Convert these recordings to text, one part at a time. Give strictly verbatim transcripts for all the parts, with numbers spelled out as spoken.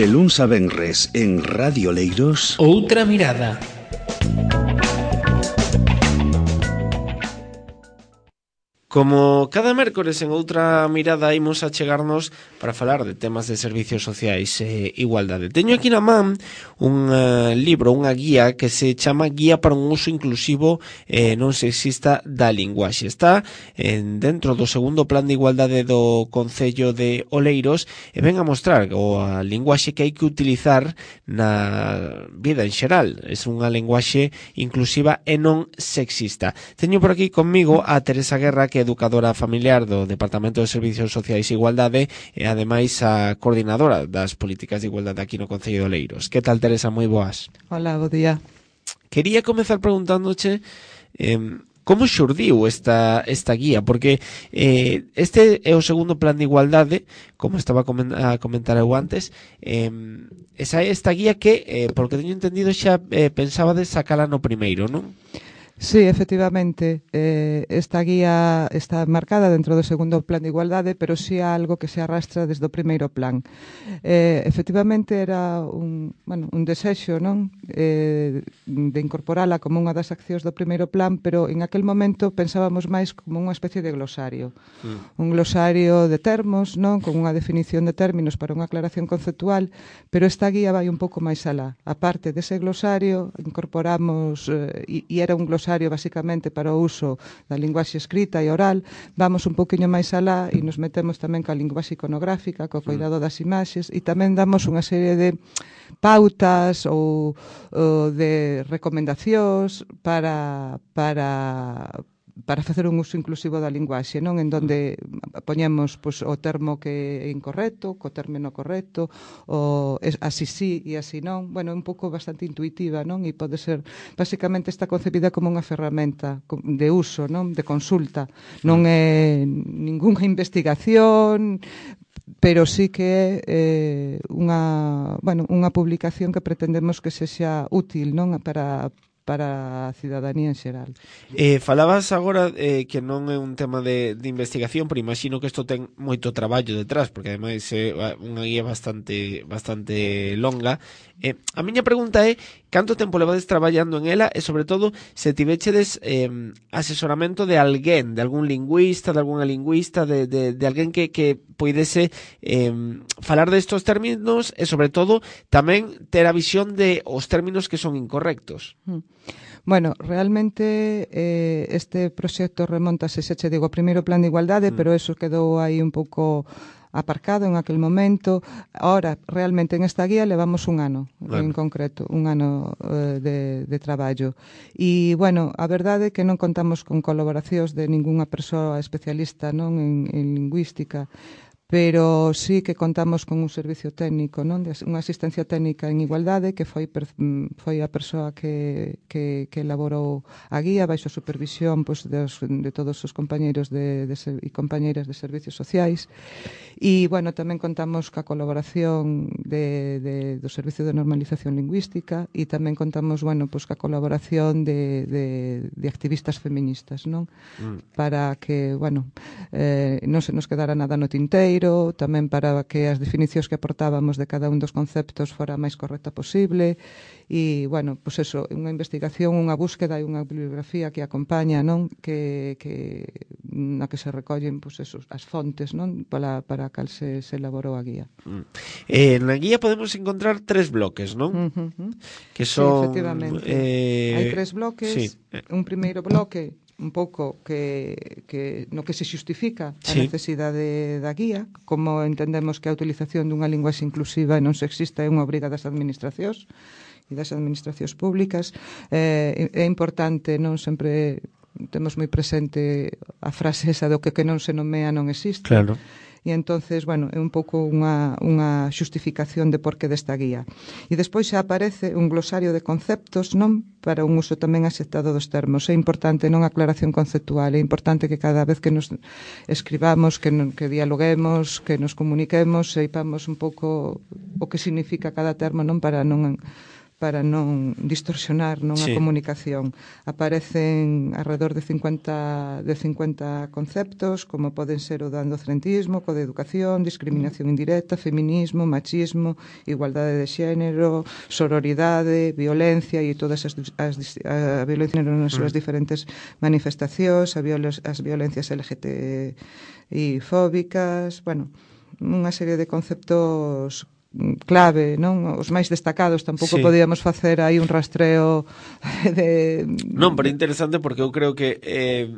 De luns a venres en Radio Oleiros. Outra mirada. Como cada mércores en Outra Mirada imos a chegarnos para falar de temas de servicios sociais e igualdade. Teño aquí na man un uh, libro, unha guía que se chama Guía para un uso inclusivo e eh, non sexista da linguaxe. Está en, dentro do segundo plan de igualdade do Concello de Oleiros e ven a mostrar o a linguaxe que hai que utilizar na vida en xeral. É unha linguaxe inclusiva e non sexista. Teño por aquí conmigo a Teresa Guerra, que educadora familiar do Departamento de Servicios Sociais e Igualdade e ademais a coordinadora das políticas de igualdade aquí no Concello de Oleiros. Que tal, Teresa? Moi boas. Hola, bo día. Quería comezar preguntándoche eh, como xurdiu esta, esta guía, porque eh, este é o segundo plan de igualdade, como estaba a comentar eu antes, eh, esa é esta guía que, eh, porque teño entendido, xa eh, pensaba de sacala no primeiro, non? Sí, efectivamente, eh, esta guía está marcada dentro do segundo plan de igualdade, pero sí é algo que se arrastra desde o primeiro plan. Eh, efectivamente, era un, bueno, un desexo, non? Eh, de incorporala como unha das accións do primeiro plan, pero en aquel momento pensábamos máis como unha especie de glosario. Mm. Un glosario de termos, non? Con unha definición de términos para unha aclaración conceptual, pero esta guía vai un pouco máis alá. A parte dese glosario, incorporamos, eh, e, e era un glosario basicamente para o uso da linguaxe escrita e oral, vamos un poquinho máis alá e nos metemos tamén ca linguaxe iconográfica, co cuidado das imaxes, e tamén damos unha serie de pautas ou, ou de recomendacións para para para facer un uso inclusivo da linguaxe, non? En donde poñemos pois, o termo que é incorrecto, co término correcto, o así sí e así non. Bueno, é un pouco bastante intuitiva, non? E pode ser, basicamente está concebida como unha ferramenta de uso, non? De consulta. Non é ningunha investigación, pero sí que é eh, unha, bueno, unha publicación que pretendemos que sexa útil, non? Para para a cidadanía en xeral. Eh, falabas agora eh, que non é un tema de, de investigación, pero imagino que isto ten moito traballo detrás, porque ademais é unha guía bastante bastante longa. Eh, a miña pregunta é canto tempo levades traballando en ela e, sobre todo, se tivechedes eh, asesoramento de alguén, de algún lingüista, de algunha lingüista, de, de, de alguén que, que poidese eh, falar destos términos e, sobre todo, tamén ter a visión de os términos que son incorrectos. Mm. Bueno, realmente eh, este proxecto remontase, xa che digo, ao primeiro plan de igualdade, mm. pero eso quedou aí un pouco aparcado en aquel momento. Ahora, realmente, en esta guía levamos un ano, bueno. En concreto, un ano uh, de, de traballo. E, bueno, a verdade é que non contamos con colaboracións de ningunha persoa especialista, non, en, en lingüística, pero sí que contamos con un servicio técnico, non? De unha asistencia técnica en igualdade, que foi foi a persoa que, que, que elaborou a guía baixo a supervisión pois, de, de todos os compañeiros de, de, e compañeiras de servicios sociais. E, bueno, tamén contamos ca colaboración de, de, do Servicio de Normalización Lingüística e tamén contamos, bueno, pois, ca colaboración de, de, de activistas feministas, non? Mm. Para que, bueno, eh, non se nos quedara nada no tinteiro, tamén para que as definicións que aportábamos de cada un dos conceptos fora a máis correcta posible e, bueno, pois eso, unha investigación, unha búsqueda e unha bibliografía que acompaña, non? Que, que na que se recollen, pois eso, as fontes, non? Para, para a cal se, se elaborou a guía. Mm. Eh, na guía podemos encontrar tres bloques, non? Uh-huh. Que son... Sí, efectivamente. Eh... Hai tres bloques. Sí. Un primeiro bloque un pouco que, que no que se xustifica a sí. necesidade da guía, como entendemos que a utilización dunha linguaxe inclusiva e non sexista é unha obriga das administracións e das administracións públicas. Eh, é importante, non sempre temos moi presente a frase esa do que que non se nomea non existe. Claro. E entonces, bueno, é un pouco unha, unha xustificación de por que desta guía. E despois xa aparece un glosario de conceptos, non? Para un uso tamén aceptado dos termos. É importante non a aclaración conceptual, é importante que cada vez que nos escribamos, que, non, que dialoguemos, que nos comuniquemos, seipamos un pouco o que significa cada termo, non? Para non para non distorsionar non Sí. a comunicación. Aparecen alrededor de cincuenta, de cincuenta conceptos, como poden ser o do andocentrismo, co de educación, discriminación indirecta, feminismo, machismo, igualdade de xénero, sororidade, violencia e todas as, as a violencia nas súas diferentes manifestacións, a viola, as violencias L G T I fóbicas, bueno, unha serie de conceptos clave, non? Os máis destacados, tampouco Sí. podíamos facer aí un rastreo de... Non, pero interesante porque eu creo que eh,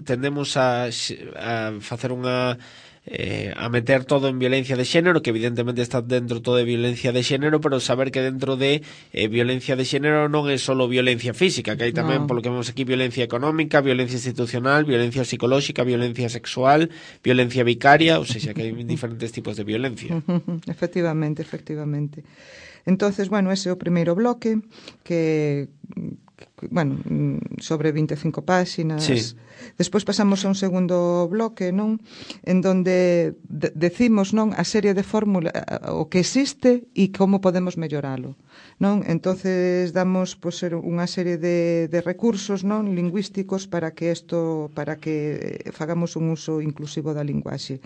tendemos a, a facer unha eh, a meter todo en violencia de xénero, que evidentemente está dentro todo de violencia de xénero, pero saber que dentro de eh, violencia de xénero non é solo violencia física, que hai tamén, No. polo que vemos aquí, violencia económica, violencia institucional, violencia psicolóxica, violencia sexual, violencia vicaria, ou seja, que hai diferentes tipos de violencia. Efectivamente, efectivamente. Entonces, bueno, ese é o primeiro bloque que, que bueno, sobre vinte e cinco páxinas. Sí. Despois pasamos a un segundo bloque, non? En donde de decimos, non, a serie de fórmula o que existe e como podemos melloralo, non? Entonces damos pois pues, unha serie de, de recursos, non, lingüísticos para que isto, para que fagamos un uso inclusivo da linguaxe.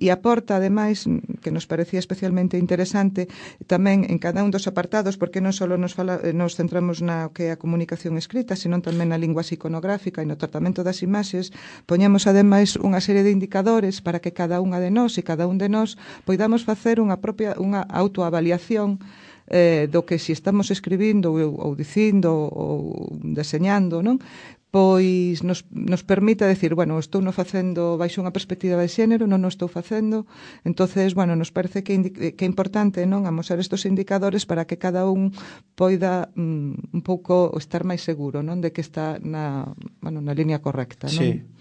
E aporta, ademais, que nos parecía especialmente interesante, tamén en cada un dos apartados, porque non só nos, fala, nos centramos na que é a comunicación escrita, senón tamén na lingua iconográfica e no tratamento das imaxes, poñemos ademais unha serie de indicadores para que cada unha de nós e cada un de nós poidamos facer unha propia unha autoavaliación eh, do que si estamos escribindo ou, ou dicindo ou deseñando, non? Pois nos, nos permite decir, bueno, estou no facendo baixo unha perspectiva de xénero, non o estou facendo. Entonces, bueno, nos parece que, que é importante, non, amosar estos indicadores para que cada un poida mm, un pouco estar máis seguro, non, de que está na, bueno, na línea correcta, non? Sí. Claro.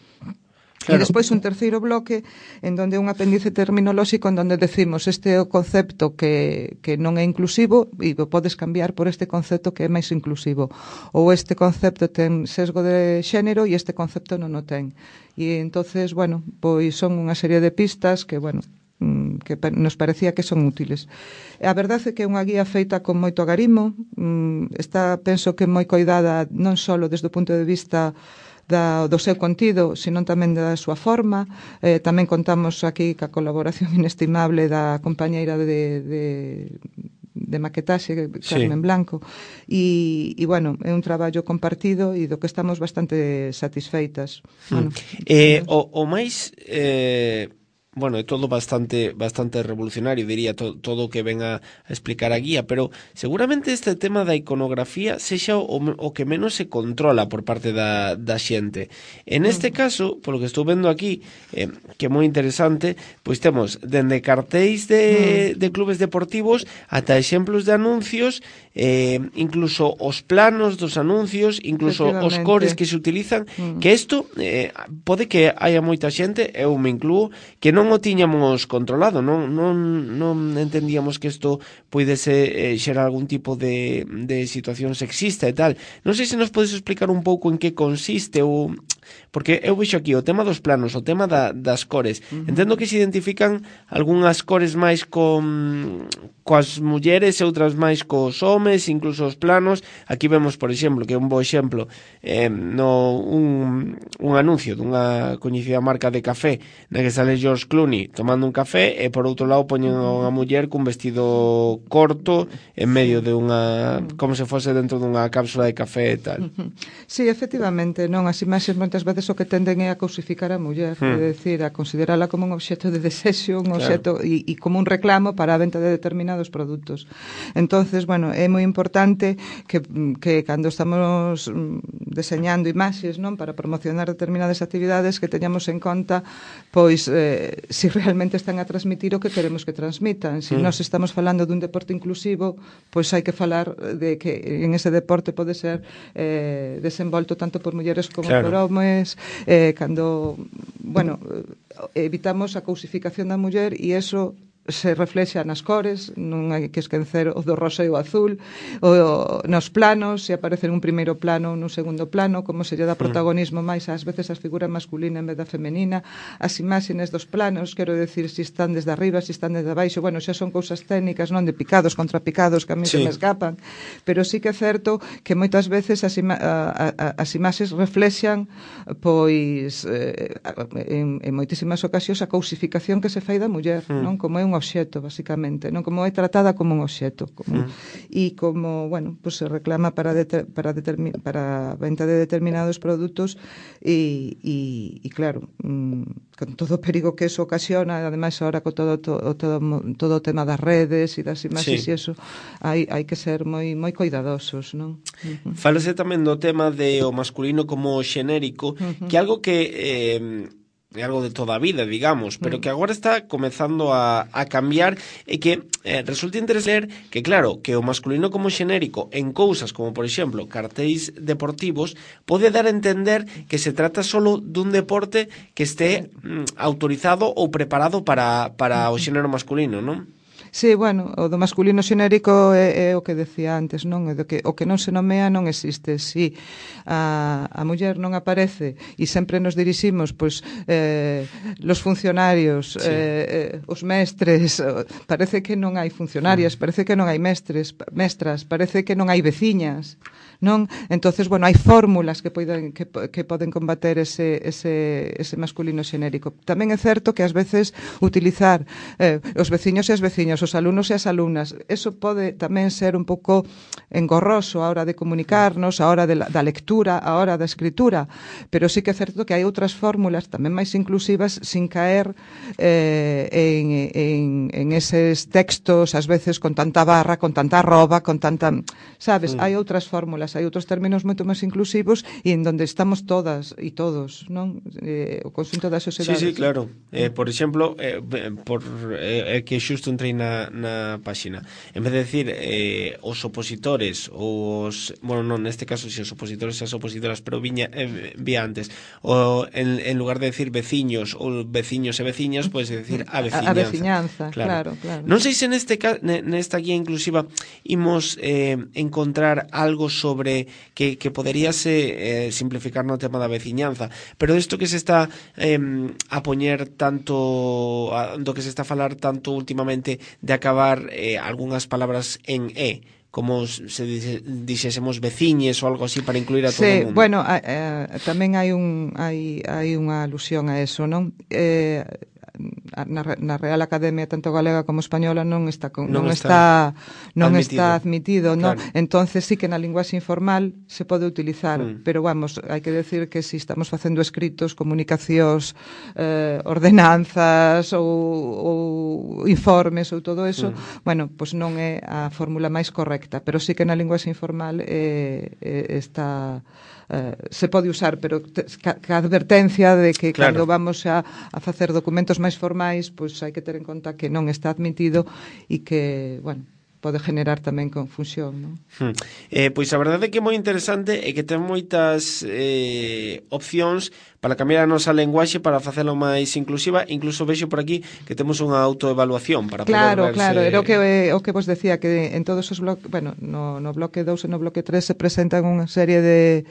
E Claro. despois un terceiro bloque en donde un apéndice terminolóxico en donde decimos este é o concepto que, que non é inclusivo e o podes cambiar por este concepto que é máis inclusivo, ou este concepto ten sesgo de xénero e este concepto non o ten. E entonces, bueno, pois son unha serie de pistas que, bueno, que nos parecía que son útiles. A verdade é que é unha guía feita con moito agarimo, está, penso que moi coidada non só desde o punto de vista da, do seu contido, senón tamén da súa forma. Eh, tamén contamos aquí ca colaboración inestimable da compañeira de, de, de maquetaxe, Carmen sí. Blanco, e, e, bueno, é un traballo compartido e do que estamos bastante satisfeitas. Hmm. Bueno, eh, o, o máis... Eh... Bueno, é todo bastante bastante revolucionario, diría, to, todo o que ven a, a explicar a guía, pero seguramente este tema da iconografía sexa o, o que menos se controla por parte da, da xente. En este caso, polo que estou vendo aquí, eh, que é moi interesante, pois temos dende cartéis de, de clubes deportivos ata exemplos de anuncios, eh, incluso os planos dos anuncios, incluso os cores que se utilizan, mm. que isto eh, pode que haya moita xente, eu me incluo, que non o tiñamos controlado, non, non, non entendíamos que isto puidese eh, xerar algún tipo de, de situación sexista e tal. Non sei se nos podes explicar un pouco en que consiste ou... Porque eu vexo aquí o tema dos planos, o tema da, das cores. Uh-huh. Entendo que se identifican algunhas cores máis con coas mulleres e outras máis cos homes, incluso os planos. Aquí vemos, por exemplo, que é un bo exemplo, eh, no un, un anuncio dunha coñecida marca de café na que sale George Clooney tomando un café e por outro lado poñen a unha muller cun vestido corto en medio de unha, como se fose dentro dunha cápsula de café e tal. Sí, efectivamente, non, as imaxes moitas veces o que tenden é a cosificar a muller, hmm. é dicir, a considerala como un obxecto de desexo, un obxecto claro. e, e como un reclamo para a venta de determinados produtos. Entonces, bueno, é moi importante que, que cando estamos deseñando imaxes, non, para promocionar determinadas actividades, que teñamos en conta pois eh, si realmente están a transmitir o que queremos que transmitan. Si hmm. nós estamos falando dun deporte inclusivo, pois hai que falar de que en ese deporte pode ser eh, desenvolto tanto por mulleres como claro. por homes, eh, cando, bueno, evitamos a cousificación da muller e eso se reflexa nas cores, non hai que esquecer o do rosa e o azul, o, nos planos, se aparece nun primeiro plano ou nun segundo plano, como se lle dá protagonismo máis ás veces as figuras masculina en vez da femenina, as imaxes dos planos, quero decir, se están desde arriba, se están desde abaixo, bueno, xa son cousas técnicas, non de picados contra picados que a mí sí. se me escapan, pero sí que é certo que moitas veces as, ima a, a, as imaxes reflexan pois eh, en, en moitísimas ocasións a cousificación que se fai da muller, mm. non? Como é un obxeto, basicamente, non? Como é tratada como un obxeto, como, mm. e como, bueno, pues se reclama para para para a venta de determinados produtos e, e, e claro, mm, con todo o perigo que eso ocasiona, ademais ahora con todo todo, todo, todo o tema das redes e das imaxes sí. e eso, hai, hai que ser moi moi cuidadosos, non? Uh-huh. Fálase tamén do tema de o masculino como xenérico, uh-huh. que algo que eh, é algo de toda a vida, digamos, pero que agora está comezando a, a cambiar e que eh, resulta interesante que, claro, que o masculino como xenérico en cousas como, por exemplo, cartéis deportivos pode dar a entender que se trata solo dun deporte que esté mm, autorizado ou preparado para, para o xénero masculino, non? Sí, bueno, o do masculino xenérico é, é o que decía antes, non? É do que, o que non se nomea non existe. Si a, a muller non aparece e sempre nos diriximos, pois, eh, los funcionarios, sí. eh, eh, os mestres, parece que non hai funcionarias, sí. parece que non hai mestres, mestras, parece que non hai veciñas, non? Entonces, bueno, hai fórmulas que poden, que, que poden combater ese, ese, ese masculino xenérico. Tamén é certo que ás veces utilizar eh, os veciños e as veciñas, os alumnos e as alumnas, eso pode tamén ser un pouco engorroso a hora de comunicarnos, a hora de la, da lectura, a hora da escritura, pero sí que é certo que hai outras fórmulas tamén máis inclusivas sin caer eh, en, en, en eses textos, ás veces con tanta barra, con tanta arroba, con tanta... Sabes, mm. hai outras fórmulas, hai outros términos moito máis inclusivos e en donde estamos todas e todos, non? Eh, o conxunto da sociedade. Sí, sí, claro. Eh, por exemplo, eh, por eh, que xusto entrei na Na, na páxina. En vez de decir eh, os opositores, os, bueno, non, neste caso si os opositores e as opositoras, pero viña, eh, vía antes, o en, en lugar de decir veciños ou veciños e veciñas, podes decir a veciñanza. A, a veciñanza, claro, claro. claro. Non sei se neste nesta guía inclusiva imos eh, encontrar algo sobre que, que poderíase eh, simplificar no tema da veciñanza, pero isto que se está eh, a poñer tanto, a, do que se está a falar tanto últimamente de acabar eh, algunhas palabras en E, como se dixésemos veciñes ou algo así para incluir a todo sí, o mundo. Bueno, a, a, tamén hai un hai hai unha alusión a eso, non? Eh Na, na Real Academia tanto galega como española non está con, non, non está, está non admitido. está admitido, non? Claro. Entonces sí que na linguaxe informal se pode utilizar, mm. pero vamos, hai que decir que si estamos facendo escritos, comunicacións, eh, ordenanzas ou, ou informes ou todo eso, mm. bueno, pois pues non é a fórmula máis correcta, pero sí que na linguaxe informal eh, eh, está eh, se pode usar, pero te, ca, ca advertencia de que claro. cando vamos a, a facer documentos máis formais, pois hai que ter en conta que non está admitido e que, bueno, pode generar tamén confusión, non? Hmm. Eh, pois a verdade é que é moi interesante e que ten moitas eh, opcións para cambiar a nosa lenguaxe para facelo máis inclusiva, incluso vexo por aquí que temos unha autoevaluación para claro, poder verse... Claro, claro, era o que, o que vos decía, que en todos os bloques, bueno, no, no bloque dous e no bloque tres se presentan unha serie de,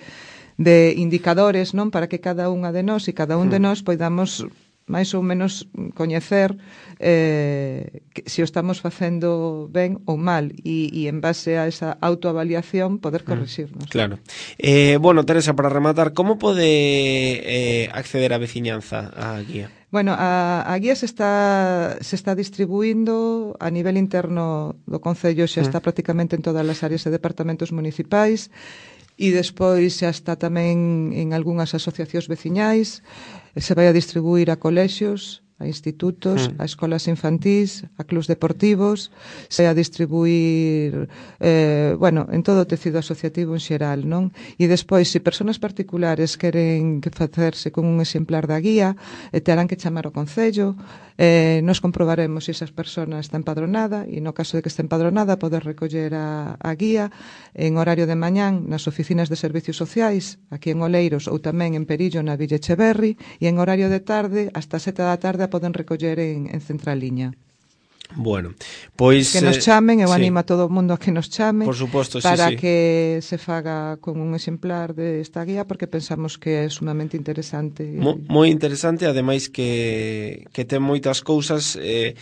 de indicadores, non? Para que cada unha de nós e cada un hmm. de nós poidamos máis ou menos coñecer eh, que, se o estamos facendo ben ou mal e, e en base a esa autoavaliación poder corrixirnos. Claro. Eh, bueno, Teresa, para rematar, como pode eh, acceder a veciñanza á guía? Bueno, a, a guía se está se está distribuindo a nivel interno do Concello, xa está mm. prácticamente en todas as áreas e departamentos municipais e despois xa está tamén en algunhas asociacións veciñais, se vai a distribuir a colexios, a institutos, mm. a escolas infantís, a clubs deportivos, se vai a distribuir eh, bueno, en todo o tecido asociativo en xeral, non? E despois, se persoas particulares queren facerse con un exemplar da guía, eh, terán que chamar ao Concello, eh, nos comprobaremos se esas persoas está empadronada e no caso de que este empadronada poder recoller a, a guía en horario de mañán nas oficinas de servicios sociais aquí en Oleiros ou tamén en Perillo na Villa Echeverri e en horario de tarde hasta sete da tarde a poden recoller en, en Centraliña. Bueno, pois que nos chamen, eu sí. animo a todo o mundo a que nos chame Por suposto, para sí, sí. que se faga con un exemplar desta guía, porque pensamos que é sumamente interesante. Mo, moi interesante, ademais que, que ten moitas cousas eh,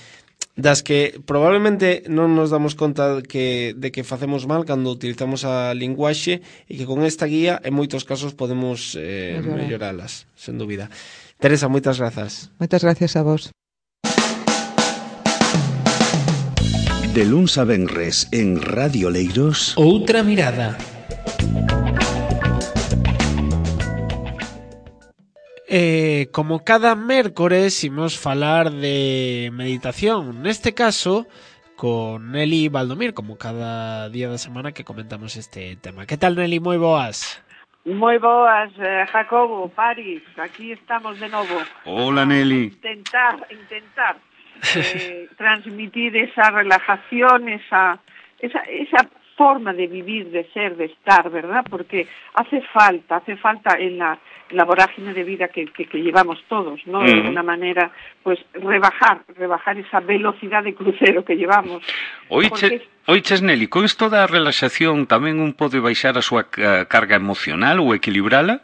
das que probablemente non nos damos conta que, de que facemos mal cando utilizamos a linguaxe, e que con esta guía en moitos casos podemos eh, melloralas, sen dúbida. Teresa, moitas grazas. Moitas gracias a vos. De luns a venres en Radio Leiros, Outra mirada. Eh, como cada mércores imos falar de meditación, neste caso con Nelly Valdomir, como cada día da semana que comentamos este tema. Que tal, Nelly? Moi boas. Moi boas, eh, Jacobo, Paris, aquí estamos de novo. Hola, Nelly. Intentar, intentar eh, transmitir esa relajación, esa, esa, esa forma de vivir, de ser, de estar, ¿verdad? Porque hace falta, hace falta en la, en la vorágine de vida que, que, que llevamos todos, ¿no? Mm. De alguna manera, pues rebajar, rebajar esa velocidad de crucero que llevamos. Oiche, porque... oiches, Nelly, con isto da relaxación tamén un pode baixar a súa carga emocional ou equilibrala?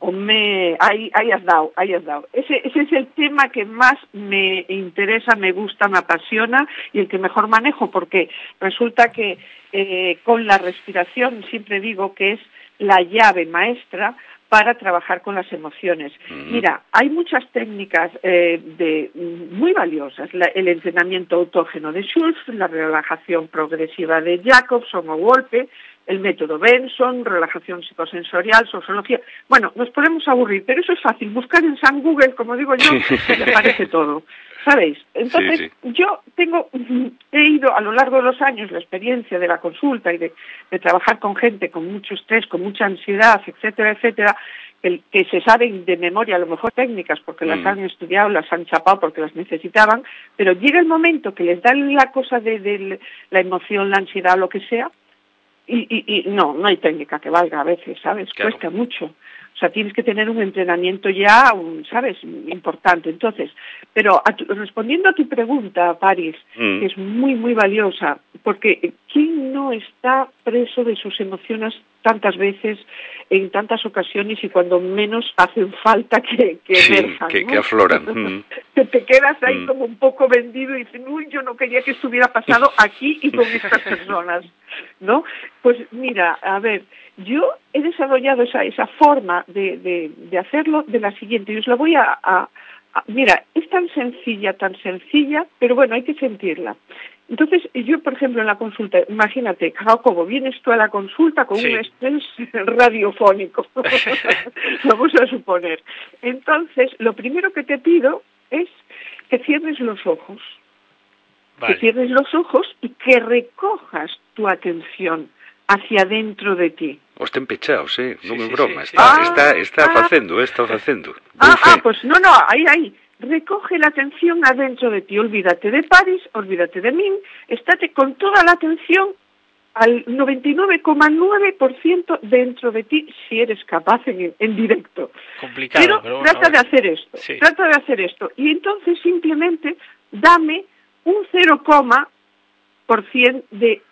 Home, ahí, ahí has dado, ahí has dado. Ese, ese es el tema que más me interesa, me gusta, me apasiona y el que mejor manejo, porque resulta que eh, con la respiración siempre digo que es la llave maestra para trabajar con las emociones. Mm. Mira, hay muchas técnicas eh, de, muy valiosas. La, el entrenamiento autógeno de Schultz, la relajación progresiva de Jacobson o Wolpe, el método Benson, relajación psicosensorial, sociología. Bueno, nos podemos aburrir, pero eso es fácil. Buscar en San Google, como digo yo, me parece todo. ¿Sabéis? Entonces, sí, sí. yo tengo, he ido a lo largo de los años la experiencia de la consulta y de, de trabajar con gente con mucho estrés, con mucha ansiedad, etcétera, etcétera, que, que se saben de memoria a lo mejor técnicas porque mm. las han estudiado, las han chapado porque las necesitaban, pero llega el momento que les dan la cosa de, de la emoción, la ansiedad, lo que sea, Y, y, y no, no hay técnica que valga a veces, ¿sabes? Claro. Cuesta mucho. O sea, tienes que tener un entrenamiento ya, un, ¿sabes? Importante. Entonces, pero a tu, respondiendo a tu pregunta, Paris, mm. que es muy, muy valiosa, porque ¿quién no está preso de sus emociones tantas veces, en tantas ocasiones y cuando menos hacen falta que, que sí, emerzan, que, ¿no? que afloran. Mm. Que te quedas ahí mm. como un poco vendido y dices, uy, yo no quería que estuviera pasado aquí y con estas personas, ¿no? Pues mira, a ver, yo he desarrollado esa, esa forma de, de, de hacerlo de la siguiente, y os la voy a, a, a... Mira, es tan sencilla, tan sencilla, pero bueno, hay que sentirla. Entonces, yo, por ejemplo, en la consulta, imagínate, Jacobo, vienes tú a la consulta con sí. un estrés radiofónico, vamos a suponer. Entonces, lo primero que te pido es que cierres los ojos, vale. que cierres los ojos y que recojas tu atención hacia dentro de ti. Os ten pechados, eh? Non me sí, broma, sí, sí. está, Ah, está, está ah, facendo, está facendo. Ah, ah, pues no, no, ahí, ahí. Recoge la atención adentro de ti, olvídate de Paris, olvídate de mí, estate con toda la atención al noventa y nueve coma nueve por ciento dentro de ti, si eres capaz en, en directo. Complicado, pero, pero bueno, trata de hacer esto, sí. trata de hacer esto, y entonces simplemente dame un cero, por ciento de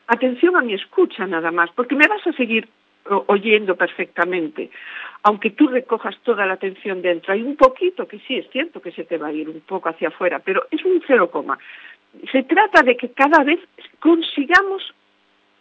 atención a mi escucha nada más, porque me vas a seguir oyendo perfectamente, aunque tú recojas toda la atención dentro. Hay un poquito que sí, es cierto que se te va a ir un poco hacia afuera, pero es un cero, se trata de que cada vez consigamos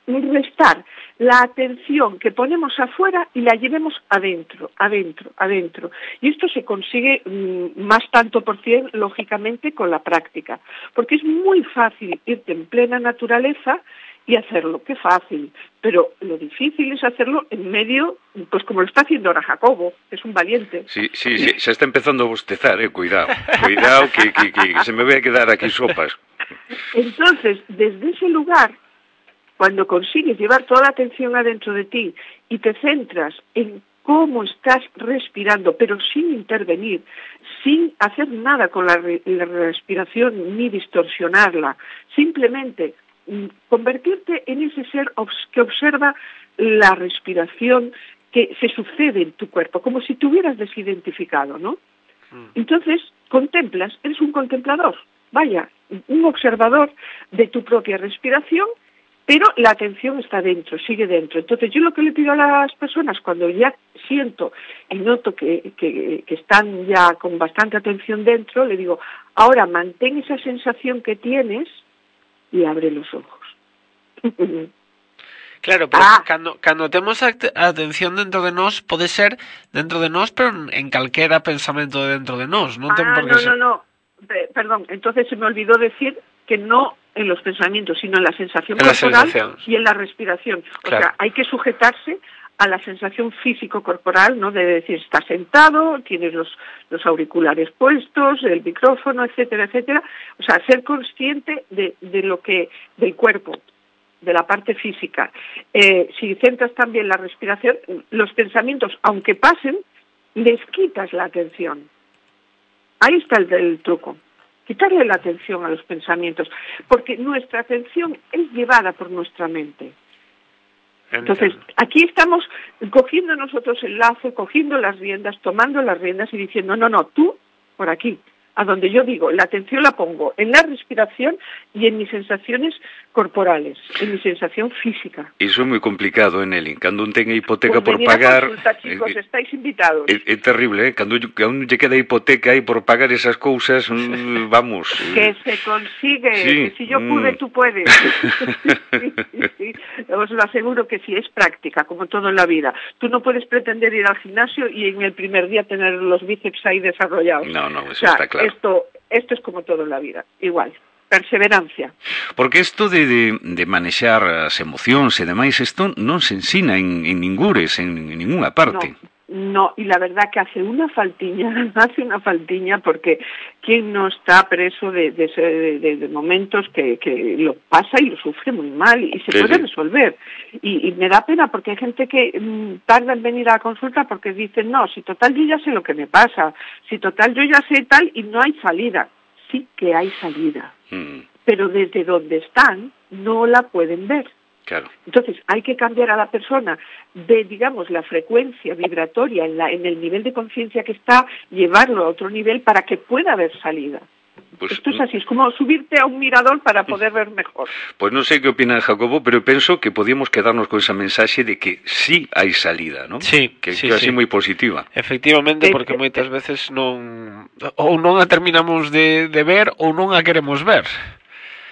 restar la atención que ponemos afuera y la llevemos adentro, adentro, adentro. Y esto se consigue mmm, más tanto por cien, lógicamente, con la práctica, porque es muy fácil irte en plena naturaleza y hacerlo, qué fácil, pero lo difícil es hacerlo en medio, pues como lo está haciendo ahora Jacobo, que es un valiente. Sí, sí, sí, se está empezando a bostezar, eh, cuidado, cuidado que, que, que se me voy a quedar aquí sopas. Entonces, desde ese lugar, cuando consigues llevar toda la atención adentro de ti y te centras en cómo estás respirando, pero sin intervenir, sin hacer nada con la, re- la respiración ni distorsionarla, simplemente convertirte en ese ser que observa la respiración que se sucede en tu cuerpo, como si te hubieras desidentificado, ¿no? Mm. Entonces, contemplas, eres un contemplador, vaya, un observador de tu propia respiración, pero la atención está dentro, sigue dentro. Entonces, yo lo que le pido a las personas, cuando ya siento y noto que, que, que están ya con bastante atención dentro, le digo, ahora mantén esa sensación que tienes y abre los ojos. Claro, pero ah. cando, cando temos a atención dentro de nós, pode ser dentro de nós, pero en calquera pensamento dentro de nós, non ten ah, por que no, ser... no, no, perdón, entonces se me olvidó decir que no en los pensamientos, sino en la sensación en corporal la y en la respiración. O claro. sea, hay que sujetarse a la sensación físico-corporal, ¿no? De decir, estás sentado, tienes los, los auriculares puestos, el micrófono, etcétera, etcétera. O sea, ser consciente de, de lo que, del cuerpo, de la parte física. Eh, si centras también la respiración, los pensamientos, aunque pasen, les quitas la atención. Ahí está el, el truco. Quitarle la atención a los pensamientos, porque nuestra atención es llevada por nuestra mente. Entonces, aquí estamos cogiendo nosotros el lazo, cogiendo las riendas, tomando las riendas y diciendo, no, no, tú, por aquí, a donde yo digo, la atención la pongo en la respiración y en mis sensaciones corporales, en mi sensación física. Iso é moi complicado, eh, Nelly. Cando un ten a hipoteca pues por pagar... Consulta, chicos, eh, estáis invitados. É, é terrible, eh? Cando a un lle queda hipoteca aí por pagar esas cousas, vamos... Que se consigue, sí, que si yo pude, mm. tú puedes. sí, sí, sí. Os lo aseguro que sí, es práctica, como todo en la vida. Tú no puedes pretender ir al gimnasio y en el primer día tener los bíceps ahí desarrollados. No, no, eso o sea, está claro. Esto, esto es como todo en la vida, igual. Perseverancia. Porque isto de, de, de manexar as emocións e demais, isto non se ensina en, en ningures, en, en ninguna parte. No, no, y la verdad que hace una faltiña, hace una faltiña, porque ¿quién no está preso de, de, de, de momentos que, que lo pasa y lo sufre muy mal y se sí, puede sí. resolver? Y, y me da pena porque hay gente que mmm, tarda en venir a la consulta porque dicen, no, si total yo ya sé lo que me pasa, si total yo ya sé tal y no hay salida. Sí que hay salida, mm. pero desde donde están no la pueden ver. Claro. Entonces hay que cambiar a la persona de, digamos, la frecuencia vibratoria en, la, en el nivel de conciencia que está, llevarlo a otro nivel para que pueda haber salida. Pues, Esto es así, es como subirte a un mirador para poder ver mejor. Pues non sei que opina Jacobo, pero penso que podíamos quedarnos con esa mensaxe de que sí hai salida, ¿no? Sí, que, sí, que así sí. moi positiva. Efectivamente, porque moitas veces non ou non a terminamos de, de ver ou non a queremos ver.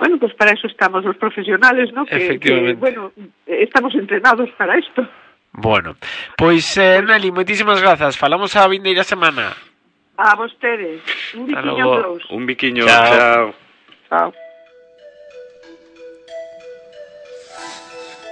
Bueno, pues para eso estamos los profesionales, ¿no? Que, que bueno, estamos entrenados para esto. Bueno, pois, eh, Nelly, moitísimas grazas. Falamos a vindeira semana. A vostedes. Un biquiño a todos. Un biquiño, chao. Chao. Chao.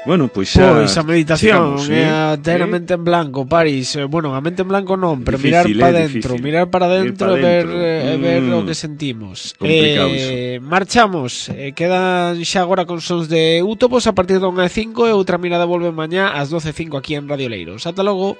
Bueno, pois xa... Pois a meditación chegamos, é eh? a ter a mente en blanco, Paris. Bueno, a mente en blanco non, pero difícil, mirar para eh, dentro, difícil. mirar para dentro e ver, eh, mm. ver o que sentimos. Complicado eh, marchamos, eh, quedan xa agora con sons de Útopos a partir da unha e cinco e outra mirada volve mañá ás doce e cinco aquí en Radio Leiros. Ata logo.